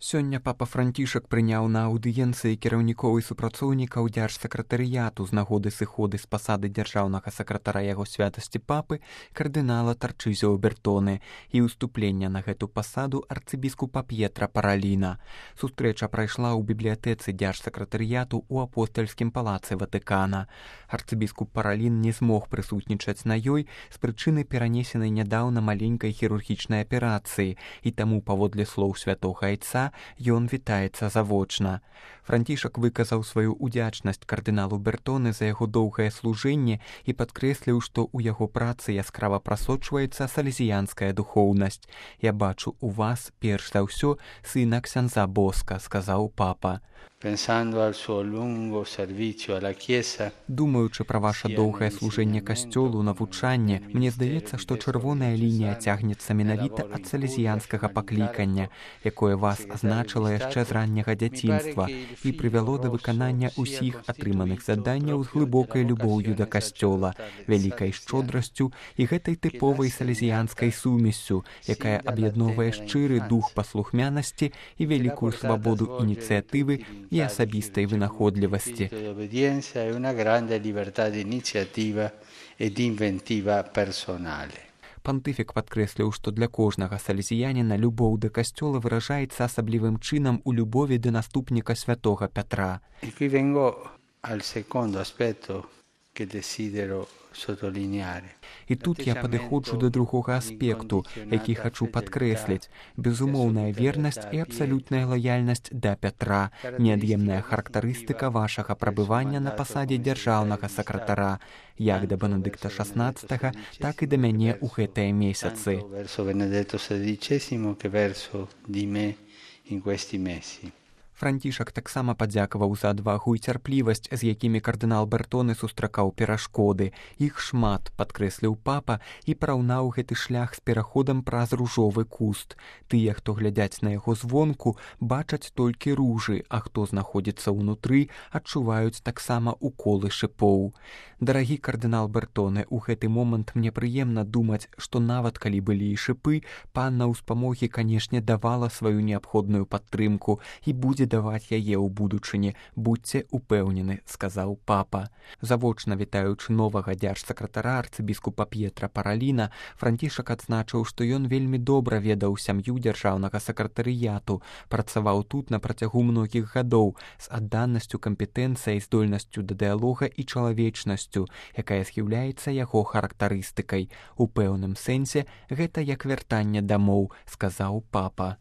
Сёння папа Францішак прыняў на аўдыенцыі кіраўнікоў і супрацоўнікаў дзяржсакратарыяту з нагоды сыходы з пасады дзяржаўнага сакратара яго святасці папы кардынала Тарчызіо Бертоне і ўступлення на гэту пасаду арцыбіскупа П'етра Параліна. Сустрэча прайшла ў бібліятэцы дзяржсакратарыяту ў апостальскім палацы Ватыкана. Арцыбіскуп Паралін не змог прысутнічаць на ёй з прычыны перанесенай нядаўна маленькай хірургічнай аперацыі, і таму, паводле слоў святога айца, ён вітаецца завочна. Францішак выказаў сваю удзячнасць кардыналу Бертоне за яго доўгае служэнне і падкрэсліў, што ў яго працы яскрава прасочваецца салезіянская духоўнасць. «Я бачу у вас, перш за ўсё, сына ксяндза Боска», сказаў папа. Думаючы пра ваша доўгае служэнне касцёлу, навучанне, мне здаецца, што чырвоная лінія цягнецца менавіта ад салезіянскага паклікання, якое вас азначыла яшчэ з ранняга дзяцінства і прывяло да выканання ўсіх атрыманых заданняў з глыбокай любоўю да касцёла, вялікай шчодрасцю і гэтай тыповай салезіянскай сумессю, якая аб'ядноўвае шчыры дух паслухмянасці і вялікую свабоду ініцыятывы і асабістай вынаходлівасці. Пантыфік падкрэсліў, што для кожнага салезіяніна любоў да касцёла выражаецца асаблівым чынам у любові да наступніка святога Пятра. І тут я падыходжу да другога аспекту, які хачу падкрэсліць. Безумоўная вернасць і абсалютная лаяльнасць да Пятра, неад'емная характарыстыка вашага прабывання на пасадзе дзяржаўнага сакратара, як да Бенедыкта XVI, так і да мяне ў гэтыя месяцы. Францішак таксама падзякаваў за адвагу і цярплівасць, з якімі кардынал Бертоне сустракаў перашкоды. Іх шмат, падкрэсліў папа, і параўнаў гэты шлях з пераходам праз ружовы куст. Тыя, хто глядяць на яго звонку, бачаць толькі ружы, а хто знаходзіцца ўнутры, адчуваюць таксама уколы шыпоў. Дарагі кардынал Бертоне, у гэты момант мне прыемна думаць, што нават калі былі і шыпы, панна ўспамогі, канешне, давала сваю неабходную падтрымку і будзе даваць яе ў будучыні. Будзьце упэўнены, сказаў папа. Завочна вітаючы новага дзяржсакратара арцыбіскупа П'етра Параліна, Францішак адзначыў, што ён вельмі добра ведаў сям'ю дзяржаўнага сакратарыяту, працаваў тут на працягу многіх гадоў з адданасцю, кампетэнцыяй, здольнасцю да дыялога і чалавечнасцю, якая з'яўляецца яго характарыстыкай. У пэўным сэнсе гэта як вяртанне дамоў, сказаў папа.